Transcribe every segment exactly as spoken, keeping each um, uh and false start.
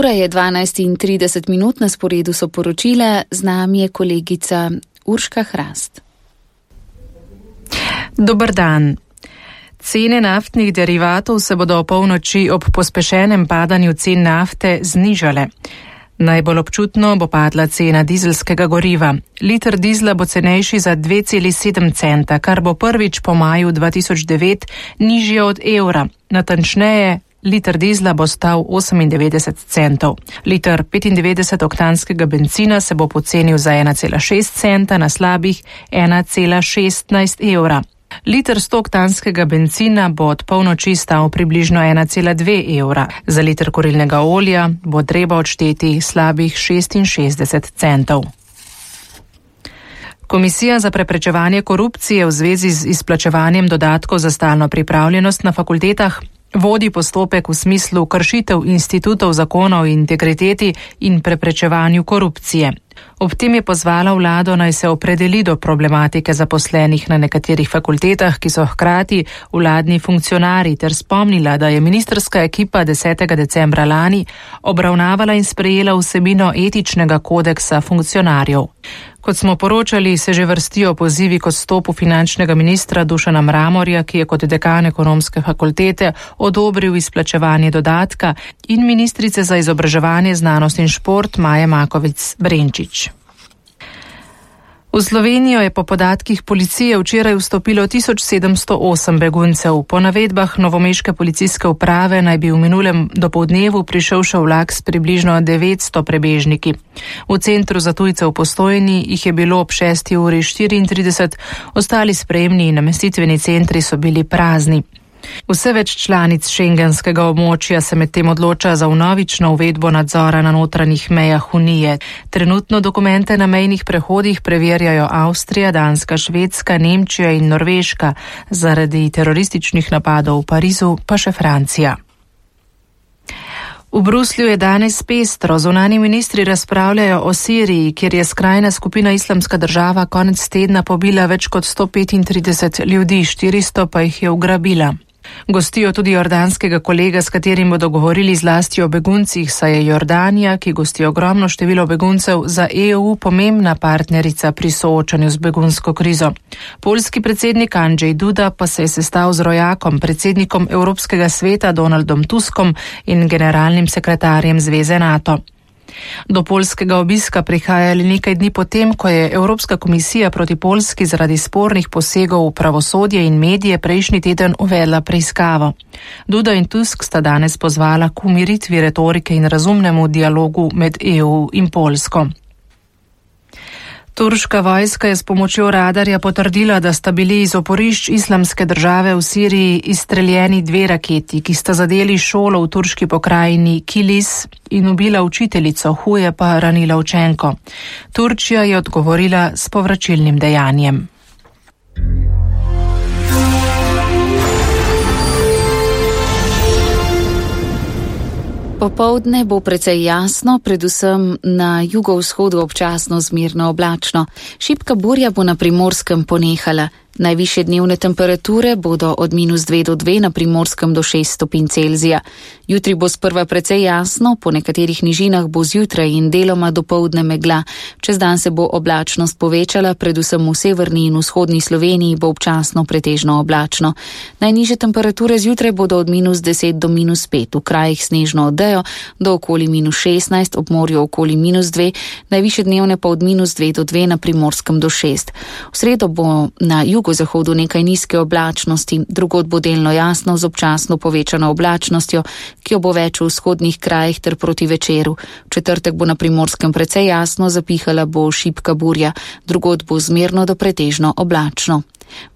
Ura je dvanajst in trideset minut, na sporedu so poročila, z nami je kolegica Urška Hrast. Dober dan. Cene naftnih derivatov se bodo ob polnoči ob pospešenem padanju cen nafte znižale. Najbolj občutno bo padla cena dizelskega goriva. Liter dizla bo cenejši za dve celi sedem centa, kar bo prvič po maju dva tisoč devet nižje od evra. Natančneje, liter dizla bo stal osemindevetdeset centov. Liter petindevetdeset-oktanskega bencina se bo pocenil za ena cela šest centa na slabih ena cela šestnajst evra. Liter sto-oktanskega bencina bo od polnoči stal približno ena cela dve evra. Za liter kurilnega olja bo treba odšteti slabih šestinšestdeset centov. Komisija za preprečevanje korupcije v zvezi z izplačevanjem dodatkov za stalno pripravljenost na fakultetah vodi postopek v smislu kršitev institutov zakona o integriteti in preprečevanju korupcije. Ob tem je pozvala vlado, naj se opredeli do problematike zaposlenih na nekaterih fakultetah, ki so hkrati vladni funkcionarji, ter spomnila, da je ministrska ekipa desetega decembra lani obravnavala in sprejela vsebino etičnega kodeksa funkcionarjev. Kot smo poročali, se že vrstijo pozivi k odstopu finančnega ministra Dušana Mramorja, ki je kot dekan ekonomske fakultete odobril izplačevanje dodatka, in ministrice za izobraževanje, znanost in šport Maje Makovec Brenčič. V Slovenijo je po podatkih policije včeraj vstopilo tisoč sedemsto osem beguncev. Po navedbah novomeške policijske uprave naj bi v minulem dopoldnevu prišel še vlak s približno devetsto prebežniki. V centru za tujce v Postojni jih je bilo ob šesti uri štiriintrideset, ostali sprejemni in namestitveni centri so bili prazni. Vse več članic šengenskega območja se medtem odloča za vnovično uvedbo nadzora na notranjih mejah Unije. Trenutno dokumente na mejnih prehodih preverjajo Avstrija, Danska, Švedska, Nemčija in Norveška, zaradi terorističnih napadov v Parizu pa še Francija. V Bruslju je danes pestro. Zunanji ministri razpravljajo o Siriji, kjer je skrajna skupina Islamska država konec tedna pobila več kot sto petintrideset ljudi, štiristo pa jih je ugrabila. Gostijo tudi jordanskega kolega, s katerim bodo govorili zlasti o beguncih, saj je Jordanija, ki gosti ogromno število beguncev, za E U pomembna partnerica pri soočanju z begunsko krizo. Poljski predsednik Andrzej Duda pa se je sestal z rojakom, predsednikom Evropskega sveta Donaldom Tuskom in generalnim sekretarjem Zveze NATO. Do poljskega obiska prihajali nekaj dni potem, ko je Evropska komisija proti Poljski zaradi spornih posegov v pravosodje in medije prejšnji teden uvedla preiskavo. Duda in Tusk sta danes pozvala k umiritvi retorike in razumnemu dialogu med E U in Poljsko. Turška vojska je s pomočjo radarja potrdila, da sta bili iz oporišč Islamske države v Siriji izstreljeni dve raketi, ki sta zadeli šolo v turški pokrajini Kilis in ubila učiteljico, huje pa ranila učenko. Turčija je odgovorila s povračilnim dejanjem. Popoldne bo precej jasno, predvsem na jugovzhodu občasno zmerno oblačno. Šibka burja bo na Primorskem ponehala. Najvišje dnevne temperature bodo od minus dve do dve, na Primorskem do šest stopinj Celzija. Jutri bo sprva precej jasno, po nekaterih nižinah bo zjutraj in deloma dopoldne megla. Čez dan se bo oblačnost povečala, predvsem v severni in vzhodni Sloveniji bo občasno pretežno oblačno. Najnižje temperature zjutraj bodo od minus deset do minus pet, v krajih snežno odejo do okoli minus šestnajst, ob morju okoli minus dve, najvišje dnevne pa od minus dve do dve, na Primorskem do šest. V sredo bo na jugu v zahodu nekaj nizke oblačnosti, drugod bo delno jasno z občasno povečano oblačnostjo, ki jo bo več v vzhodnih krajih ter proti večeru. V četrtek bo na Primorskem precej jasno, zapihala bo šibka burja, drugod bo zmerno do pretežno oblačno.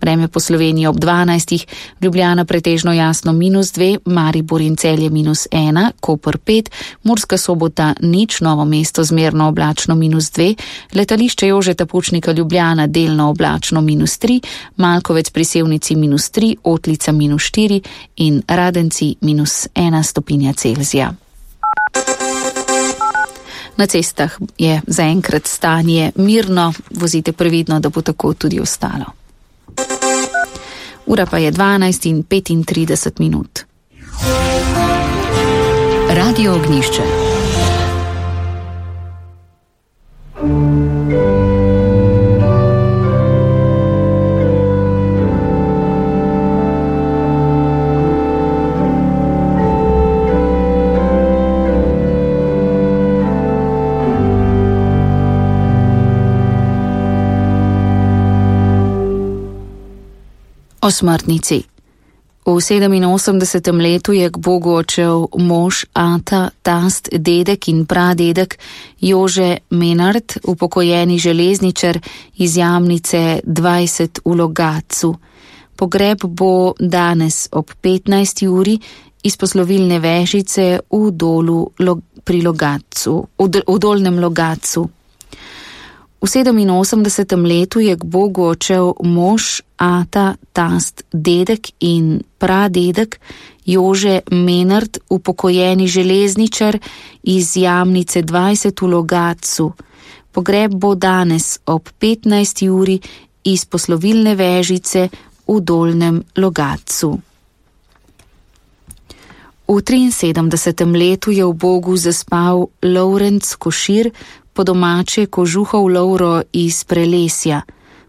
Vreme po Sloveniji ob dvanajstih, Ljubljana pretežno jasno minus dve, Maribor in Celje minus ena, Koper pet, Murska Sobota nič, Novo mesto zmerno oblačno minus dve, letališče Jožeta Pučnika Ljubljana delno oblačno minus tri, Malkovec pri Sevnici minus tri, Otlica minus štiri in Radenci minus ena stopinja Celzija. Na cestah je zaenkrat stanje mirno, vozite previdno, da bo tako tudi ostalo. Ura pa je dvanajst in petintrideset minut. Radio Ognjišče. O smrtnici. V sedeminosemdesetem letu je k Bogu odšel mož, ata, tast, dedek in pradedek Jože Menard, upokojeni železničar iz Jamnice dvajset v Logatcu. Pogreb bo danes ob petnajsti uri iz poslovilne vežice v dolu pri Logatcu, v dolnem Logatcu. V sedeminosemdesetem letu je k Bogu odšel mož, ata, tast, dedek in pradedek Jože Menard, upokojeni železničar iz Jamnice dvajset v Logatcu. Pogreb bo danes ob petnajsti uri iz poslovilne vežice v dolnem Logatcu. V triinsedemdesetem letu je v Bogu zaspal Lovrenc Košir, po domače Kožuhov Lovro iz Prelesja.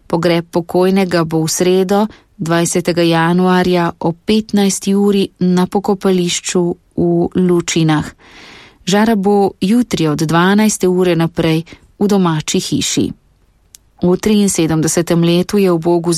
Pogreb pokojnega bo v sredo, dvajsetega januarja ob petnajsti uri na pokopališču v Lučinah. Žara bo jutri od dvanajste ure naprej v domači hiši. V triinsedemdesetem letu je v Bogu